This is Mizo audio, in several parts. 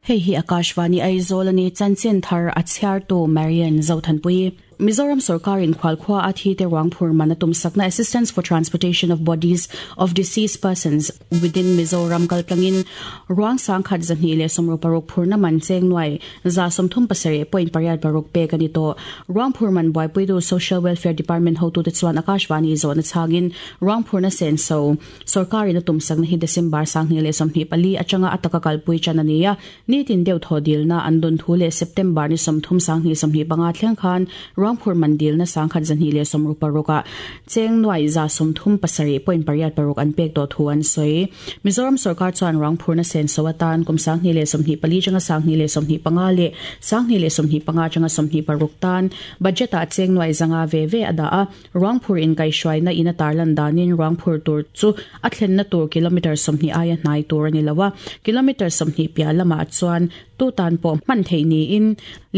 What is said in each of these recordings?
Hei hi Akashvani Aizawl a ni, chanchin thar a chhiartu Marian Zothanpui. Mizoram sorkarin khualkhua a thi te ruang phur man a tumsakna Assistance for Transportation of Bodies of Deceased Persons within Mizoram kaltlangin ruang 1226 phurna man cheng nuai 37.86 pek a ni tawh. Ruang phur man buaipuitu Social Welfare Department hotute chuan Akashvani zawhna chhangin ruang phurna senso Sorkarin a tumsakna hi December 2024 atanga a taka kalpui tan a ni a, nitin deuh thaw dilna an dawn thu leh September ni 30 2025 thleng khan ruangphur man dilna 1266 ah cheng nuai 37.86 an pek tawh thu an sawi. Mizoram sorkar chuan ruangphurna senso atan kum 2024 atanga 2025 leh 2025 atanga 26 tan budget ah cheng nuai 500 ve ve a dah a. Ruangphur inkaihhruaina in a tarlan danin ruangphur tur chu a thlenna tur kilometre 20 aia hnai tur a ni lo a, kilometre 20 piah lamah chuan tu tan pawh hman theih niin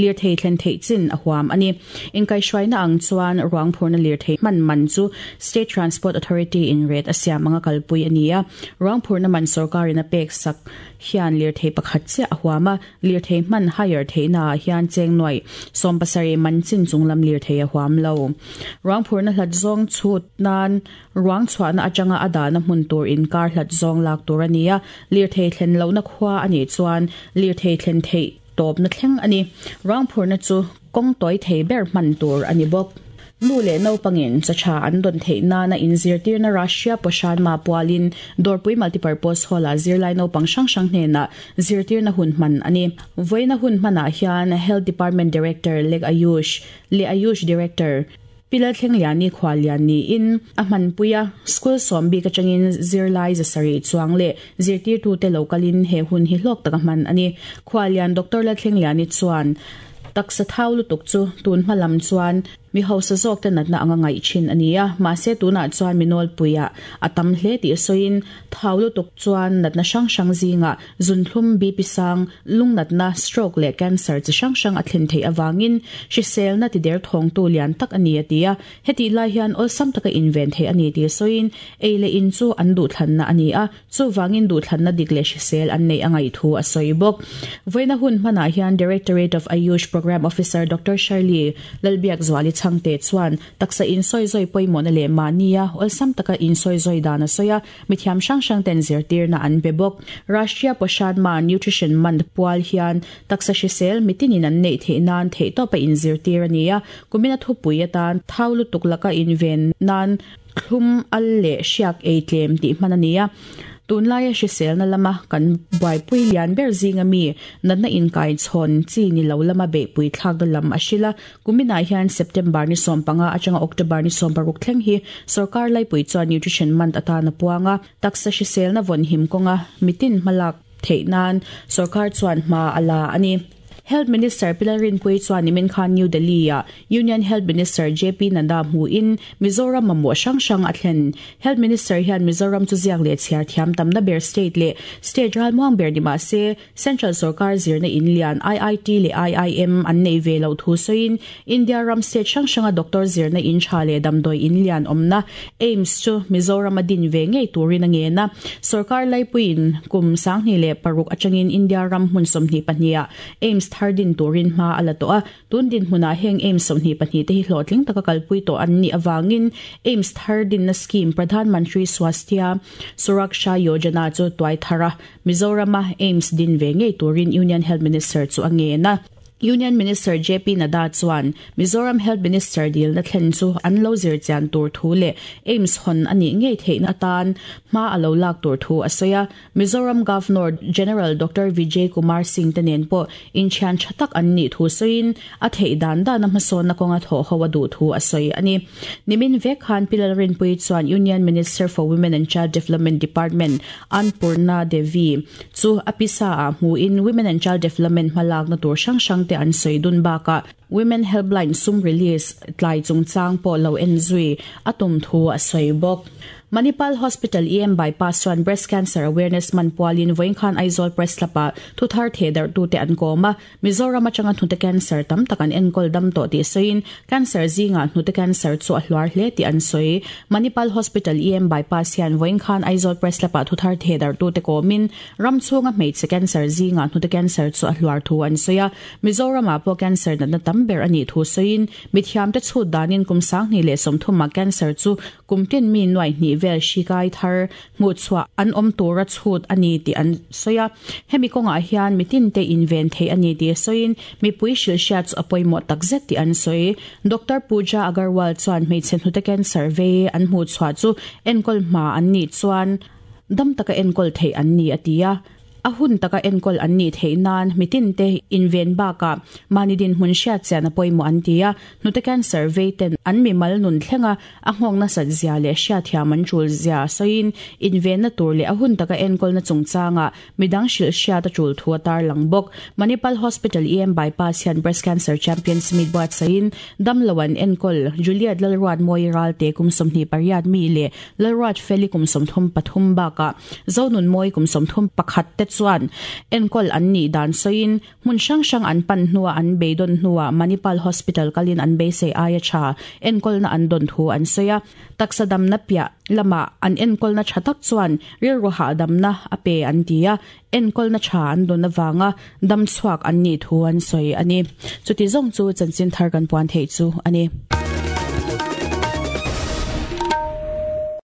lirthei thlen theih chin a huam a ni. Inkaihhruaina ang chuan ruangphurna lirthei hman man chu State Transport Authority in rate a siam anga kalpui a ni a, ruangphurna man sorkarin a pek sak hian lirthei pakhat chiah a huam a, Lirthei hman hire theihnaah hian cheng nuaih 70 man chin chunglam lirthei a huam lo. Ruang phurna hlat zawng chhut nan ruang chhuahna atanga a dahna hmun tur inkar hlat zawng lak tur a ni a, lirthei thlen lohna khua a nih chuan lirthei thlen theih tawpna thleng a ni. Ruang phurna chu kawng tawi thei ber hman tur a ni bawk. Nu leh naupangin chaw tha an dawn theih nana inzirtirna Russia Poshanma pualin Dawrpui Multipurpose Hall-ah zirlai naupang hrang hrang hnenah zirtirna hun hman a ni. Vawiina hun hmanah hian Health Department Director Lek Ayush leh Ayush Director Pi Lalthlengliani khuallian niin a hmanpui a, school sawm bik atangin zirlai 700 chuang leh zirtirtute lo kalin he hun hi hlawk taka hman a ni. Khuallian Doctor Lalthlengliani chuan taksa thau lutuk chu tun hma lam chuan Mi hausa zawkte natna anga ngaih thin a ni a, mahse tunah chuan mi nawlpuiah a tam hle tih sawiin thau lutuk chuan natna hrang hrang zingah zunthlum, BP sang, lungnatna, stroke leh cancer chi hrang hrang a thlen theih avangin hriselna tider thawngtu lian tak a ni a ti a. Hetih lai hian awlsam taka inven theih a ni tih sawiin ei leh in chu an duhthlanna a ni a, Chuvangin duhthlanna dik leh hrisel an neih a ngaih thu a sawi bawk. Vawiina hun hmanah hian Directorate of Ayush Programme Officer Doctor Shirley Lalbiakzuali Chhangte chuan taksa insawizawi pawimawhna leh mahnia awlsam taka insawizawi dan a sawi a, mithiam hrang hrang ten zirtirna an pe bawk. Rashtriya Poshan Maah Nutrition Month pual hian taksa hrisel mitinin an neih theih nan theihtawpa inzirtir a ni a, kumina thupui atan thau lutuk laka inven nan Thlum al leh hriak ei tlem tih hman a ni a, tunlaia hriselna lama kan buaipui lian ber zinga mi natna inkai chhawn chi ni lo lama beihpui thlakna lam a hrilh a. Kuminah hian September ni 15 atanga October ni 16 thleng hi sorkar laipui chuan Nutrition Month atan a puang a, taksa hriselna vawnhim kawnga mitin hmalak theih nan sorkar chuan hma a la a ni. Health Minister Pi Lalrinpuii chuan nimin khan New Delhi-ah Union Health Minister JP Nadda hmuhin Mizoram mamawh hrang hrang a thlen. Health Minister hian Mizoram chu ziak leh chhiar thiam tamna ber state leh state ralmuang ber ni mah se Central sorkar zirna in lian IIT leh IIM an nei ve loh thu sawiin India ram state hrang hranga doctor zirna in tha leh damdawi in lian awmna AIIMS chu Mizoram a din ve ngei turin a ngen a. Sorkar laipuiin kum 2006 atangin India ram hmun 22 ah AIIMS thar din turin hma a la tawh a. Tun dinhmunah heng AIIMS 22 te hi hlawhtling taka kalpui tawh an nih avangin AIIMS thar dinna scheme Pradhan Mantri Swasthya Suraksha Yojana chu tuai thar a, Mizorama AIIMS din ve ngei turin Union Health Minister chu a ngen a. Union Minister JP Nadda chuan Mizoram Health Minister dilna thlen chu an lo zir chian tur thu leh AIIMS hawn a nih ngei theihna atan hma a lo lak tur thu a sawi a. Mizoram Governor General Doctor Vijay Kumar Singh te nen pawh inthian tha tak an nih thu sawiin a theih dan dana hmasawnna kawnga thawh ho a duh thu a sawi a ni. Nimin vek khan Pi Lalrinpuii chuan Union Minister for Women and Child Development Department Annpurna Devi chu a pisa ah hmuin Women and Child Development hmalakna tur hrang hrang te an sawi dun bakah. Women Helpline sum release tlai chungchang pawh lo en zui a tum thu a sawi bawk. Manipal Hospital EM Bypass chuan Breast Cancer Awareness Month pualin vawiin khan Aizawl Press Club-ah thuthar thehdarhtute an kawm a, Mizoram atanga hnute cancer tam tak an enkawl dam tawh tih sawiin cancer zingah hnute cancer chu a hluar hle tih an sawi. Manipal Hospital EM Bypass hian vawiin khan Aizawl Press Club-ah thuthar thehdarhtute kawmin ram chhunga hmeichhe cancer zingah hnute cancer chu a hluar thu an sawi a, Mizoramah pawh cancer natna tam ber a nih thu sawiin mithiamte chhut danin kum 2030 ah cancer chu kum tin mi nuaih hnih vel hri kai thar hmuhchhuah an awm tura chhut a ni tih an sawi a. Hemi kawngah hian mitinte inven theih a ni tih sawiin mipui hrilhhriat chu a pawimawh takzet tih an sawi. Doctor Pooja Agarwal chuan hmeichhe hnute cancer vei an hmuhchhuah chu enkawl hma an nih chuan dam taka enkawl theih an ni a ti a. A hun taka enkawl an nih theih nan mitinte inven bakah mahni dinhmun hriat chian a pawimawh an ti a. Hnute cancer vei ten an mimal nun thlenga a nghawk nasat zia leh hriatthiam an tul zia sawiin invenna tur leh a hun taka enkawlna chungchangah midang hrilh hriat a tul thu a tarlang bawk. Manipal Hospital EM Bypass hian Breast Cancer Champions Meet buatsaihin damlo an enkawl Juliet Lalruat Mawi Ralte kum 28 mi leh Lalruat Feli kum 33 bakah Zonun Mawi kum 31 te chuan enkawl an nih dan sawiin hmun hrang hrang an pan hnuah an beidawn hnuah Manipal Hospital kalin an beisei aia tha enkawlna an dawn thu an sawi a. Taksa damna piah lamah an enkawlna tha tak chuan rilru hahdamna a pe an ti a, enkawlna tha an dawn avanga dam chhuak an nih thu an sawi a ni. Chuti zawng chu chanchin thar kan puan theih chu a ni.